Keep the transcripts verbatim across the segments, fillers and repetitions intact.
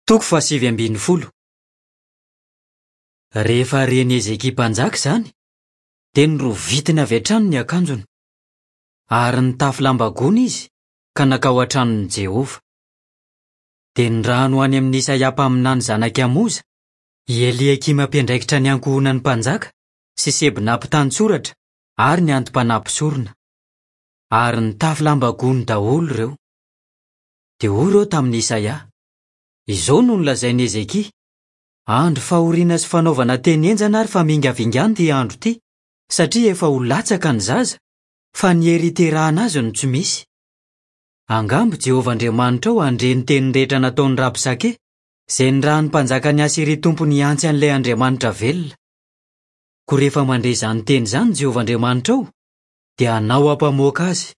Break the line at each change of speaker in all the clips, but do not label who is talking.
Toko fahasivy ambin'ny folo. Rehefa ren'i Hezekia mpanjaka izany, dia norovitiny avy hatrany ny akanjony. Ary nitafy lamba gony izy, ka nankao an-tranon'i Jehovah. Dia nirahany ho any amin'i Isaia mpaminany zanak'i Amoza, i Eliakima mpiandraikitra ny ankohonan'ny mpanjaka, sy Sebna mpitantsoratra ary ny anti-panahy mpisorona. Ary nitafy lamba gony daholo ireo. Dia hoy ireo tamin'i Isaia: Izao no nolazain'i Hezekia: Andro fahoriana sy fanaovana teny henjana ary famingavingana ity andro ity, satria efa ho latsaka ny zaza, fa ny hery hiterahana azy no tsy misy. Angamba Jehovah Andriamanitrao handre ny teny rehetra nataon'i Rabsake, izay nirahin'ny mpanjakan'i Asyria tompony hiantsy an'ilay Andriamanitra velona. Koa rehefa mandre izany teny izany Jehovah Andriamanitrao, dia hanao ampamoaka azy.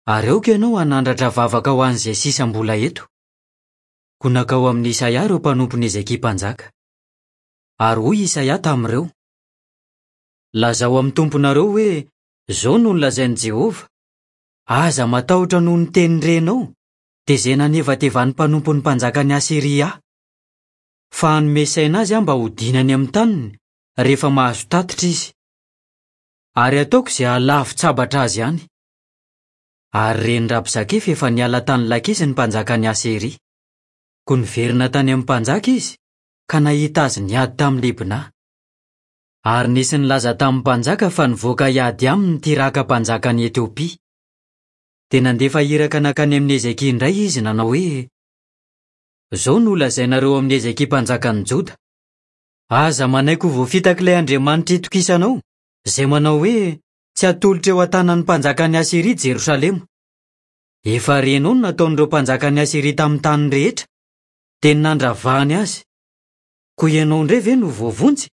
Ary aoka ianao hanandratra vavaka ho an'izay sisa mbola eto. Koa nankao amin'i Isaia ireo mpanompon'i Hezekia mpanjaka. Ary hoy Isaia tamin'ireo: Lazao amin'ny tomponareo hoe, Izao no nolazain'i Jehovah: Aza matahotra noho ny teny renao, dia izay nanevatevan'ny mpanompon'ny mpanjakan'i Asyria ahy. Fa hanome saina azy aho mba hodiana any amin'ny taniny, rehefa mahazo tatitra izy. Ary hataoko izay hahalavo-tsabatra azy any. Ary ren'i Rabsake fa efa niala tany Lakisy ny mpanjakan'i Asyria. Koa niverina tany amin'ny mpanjaka izy, ka nahita azy niady tamin'i Libna. Ary nisy nilaza tamin'ny mpanjaka fa nivoaka hiady aminy ny Tiraka mpanjakan'i Etiopia. Dia nandefa iraka nankany amin'i Hezekia indray izy nanao hoe: Izao no holazainareo amin'i Hezekia mpanjakan'ny Joda: Aza manaiky ho voafitak'ilay Andriamanitra itokisanao, izay manao hoe, Tsy hatolotra eo an-tanan'ny mpanjakan'i Asyria Jerosalema. Efa renao ny nataon'ireo mpanjakan'i Asyria tamin'ny tany rehetra, dia ny nandravahany azy. Koa ianao indray ve no voavonjy?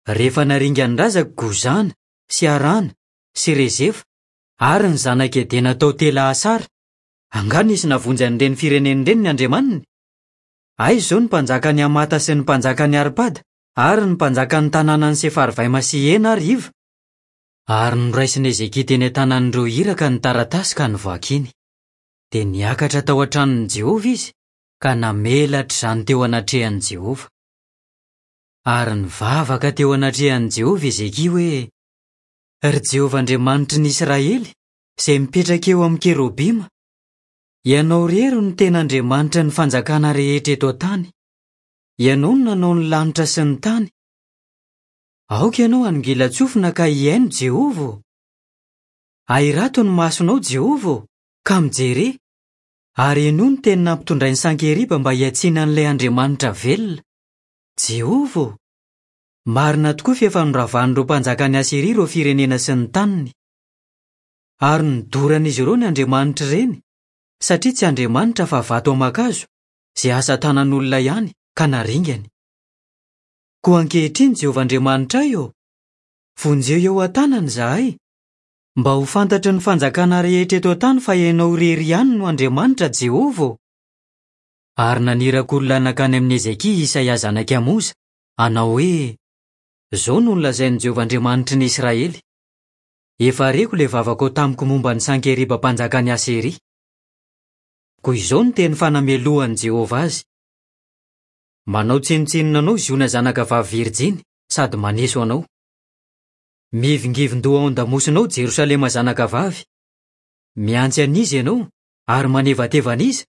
Rehefa naringan'ny razako Gozana sy Harana sy Rezefa ary ny zanak'i Edena tao Tela-Asara, angaha nisy navonjy an'ireny firenena ireny ny andriamaniny? Aiza izao ny mpanjakan'i Hamata sy ny mpanjakan'i Arpada ary ny mpanjakan'ny tanànan'i Sefarvaima sy Hena ary Iva? Ary noraisin'i Hezekia teny an-tanan'ireo iraka ny taratasy ka novakiny. Dia niakatra tao an-tranon'i Jehovah izy ka namelatra izany teo anatrehan'i Jehovah. Ary nivavaka teo anatrehan'i Jehovah Hezekia hoe: Ry Jehovah Andriamanitry ny Israely, izay mipetraka eo amin'ny kerobima, Ianao irery no tena Andriamanitry ny fanjakana rehetra eto an-tany. Ianao no nanao ny lanitra sy ny tany. Aoka ianao hanongilan-tsofina ka hihaino, Jehovah ô! Ahirato ny masonao, Jehovah ô, ka mijere, ary henoy ny teny nampitondrain'i Sankeriba mba hiantsiana an'ilay Andriamanitra velona. Jehovah ô! Marina tokoa fa efa noravan'ireo mpanjakan'i Asyria ireo firenena sy ny taniny. Ary nodoran'izy ireo ny andriamanitr'ireny, satria tsy andriamanitra fa vato aman-kazo, izay asa tanan'olona ihany, ka naringany. Koa ankehitriny, Jehovah Andriamanitray ô, vonjeo eo an-tanany izahay, mba ho fantatry ny fanjakana rehetra eto an-tany fa Ianao irery ihany no Andriamanitra, Jehovah ô. Ary naniraka olona nankany amin'i Hezekia i Isaia zanak'i Amoza, hanao hoe: Izao no nolazain'i Jehovah Andriamanitry ny Israely: Efa reko ilay vavakao tamiko momba an'i Sankeriba mpanjakan'i Asyria. Koa izao no teny fanamelohan'i Jehovah azy: Manao tsinontsinona anao Ziona zanakavavy virjiny sady maneso anao. Mihivingivin-doha ao an-damosinao Jerosalema zanakavavy. Mihantsy an'iza ianao ary manevateva an'iza?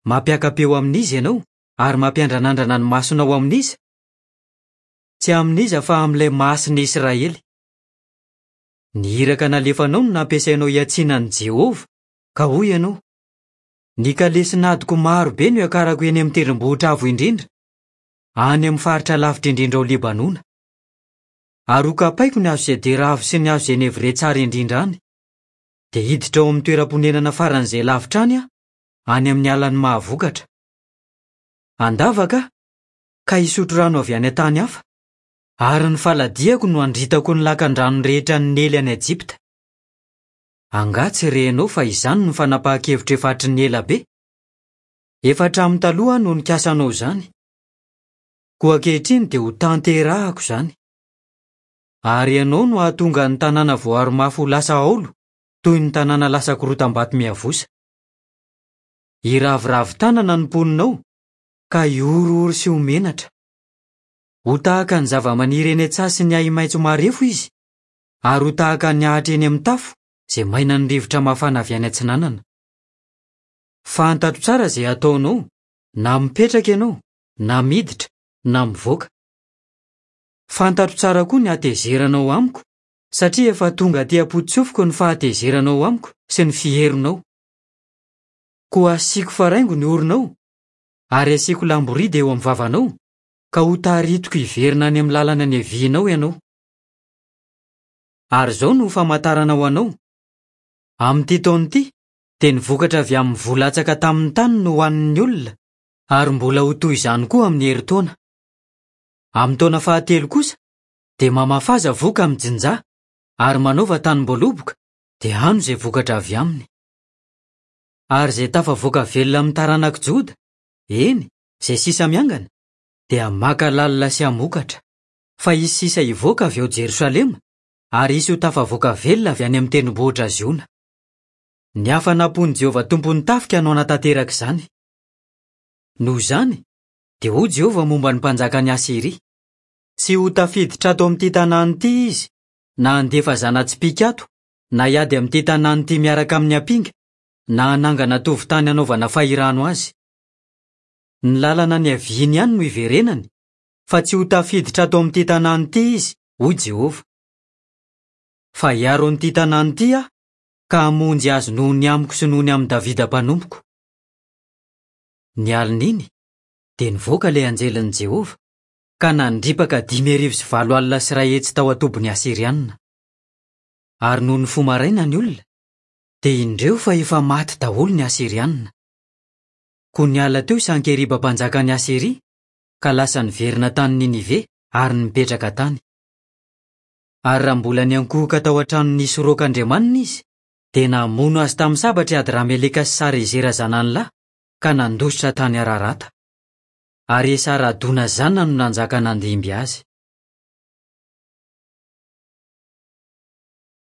Mampiaka-peo amin'iza ianao ary mampiandranandrana ny masonao amin'iza? Tsy amin'iza fa amin'ilay Masin'ny Israely. Ny iraka nalefanao no nampiasainao hiantsiana an'i Jehovah, ka hoy ianao: Ny kalesin'adiko maro be no hiakarako eny amin'ny tendrombohitra avo indrindra, any amin'ny faritra lavitra indrindra ao Libanona. Ary hokapaiko ny hazo sedera avo sy ny hazo zenevrie tsara indrindra any. Dia hiditra ao amin'ny toeram-ponenana faran'izay lavitra any aho, any amin'ny alan'ny mahavokatra. Handavaka aho, ka hisotro rano avy any an-tany hafa, ary ny faladiako no handritako ny lakan-drano rehetra nely any Ejipta. Angaha tsy renao fa izany no fanapahan-kevitra efa hatry ny ela be? Efa hatramin'ny taloha aho no nikasa hanao izany. Koa ankehitriny dia ho tanterahako izany. Ary ianao no hahatonga ny tanàna voaro mafy ho lasa haolo, toy ny tanàna lasa korotam-bato miavosa. Hiraviravy tanana ny mponina ao, ka hihorohoro sy ho menatra. Ho tahaka ny zava-maniry eny an-tsaha sy ny ahi-maitso marefo izy, ary ho tahaka ny ahitra eny amin'ny tafo izay mainan'ny rivotra mafana avy any atsinanana. Fantatro tsara izay ataonao, na mipetraka ianao, na miditra, na mivoaka. Fantatro tsara koa ny hatezeranao amiko, satria efa tonga aty am-potsofiko ny fahatezeranao amiko sy ny fiheronao. Koa asiako faraingo ny oronao, ary asiako lamboridy eo amin'ny vavanao, ka ho taritiko hiverina any amin'ny lalana niavianao ianao. Ary izao no famantarana ho anao: amin'ity taona ity dia ny vokatra avy amin'ny voa latsaka tamin'ny tany no hohanin'ny olona, ary mbola ho toy izany koa amin'ny herintaona. Amin'ny taona fahatelo kosa dia mamafaza voka amin'ny jinja, ary manaova tanim-boaloboka, dia hano izay vokatra avy aminy. Ary izay tafavoaka velona amin'ny taranak'i Joda, eny, izay sisa miangana, dia maka lalina sy hamokatra. Fa hisy sisa hivoaka avy ao Jerosalema, ary hisy ho tafavoaka velona avy any amin'ny tendrombohitra Ziona. Ny hafanam-pon'i Jehovah tompon'ny tafika no hanatanteraka izany. Noho izany, dia hoy Jehovah momba ny mpanjakan'i Asyria: Tsy ho tafiditra ato amin'ity tanàna ity izy, na handefa zana-tsipìka ato, na hiady amin'ity tanàna ity miaraka amin'ny ampinga, na hanangana tovon-tany hanaovana fahirano azy. Ny lalana niaviany ihany no hiverenany, fa tsy ho tafiditra ato amin'ity tanàna ity izy, hoy Jehovah. Fa hiaro an'ity tanàna ity aho, ka hamonjy azy noho ny amiko sy noho ny amin'i Davida mpanompoko. Ny alin'iny dia nivoaka ilay anjelin'i Jehovah, ka nandripaka dimy arivo sy valo alina sy iray hetsy tao an-tobin'ny Asyrianina. Ary noho ny fo maraina ny olona, dia indreo fa efa maty daholo ny Asyrianina. Koa niala teo i Sankeriba mpanjakan'i Asyria, ka lasa niverina tany Ninive ary nipetraka tany. Ary raha mbola niankohoka tao an-tranon'i Nisroka andriamaniny izy, dia namono azy tamin'ny sabatra i Adrameleka sy Sarezera zanany lahy, ka nandositra tany Ararata. Ary Esaradona zanany no nanjaka nandimby azy.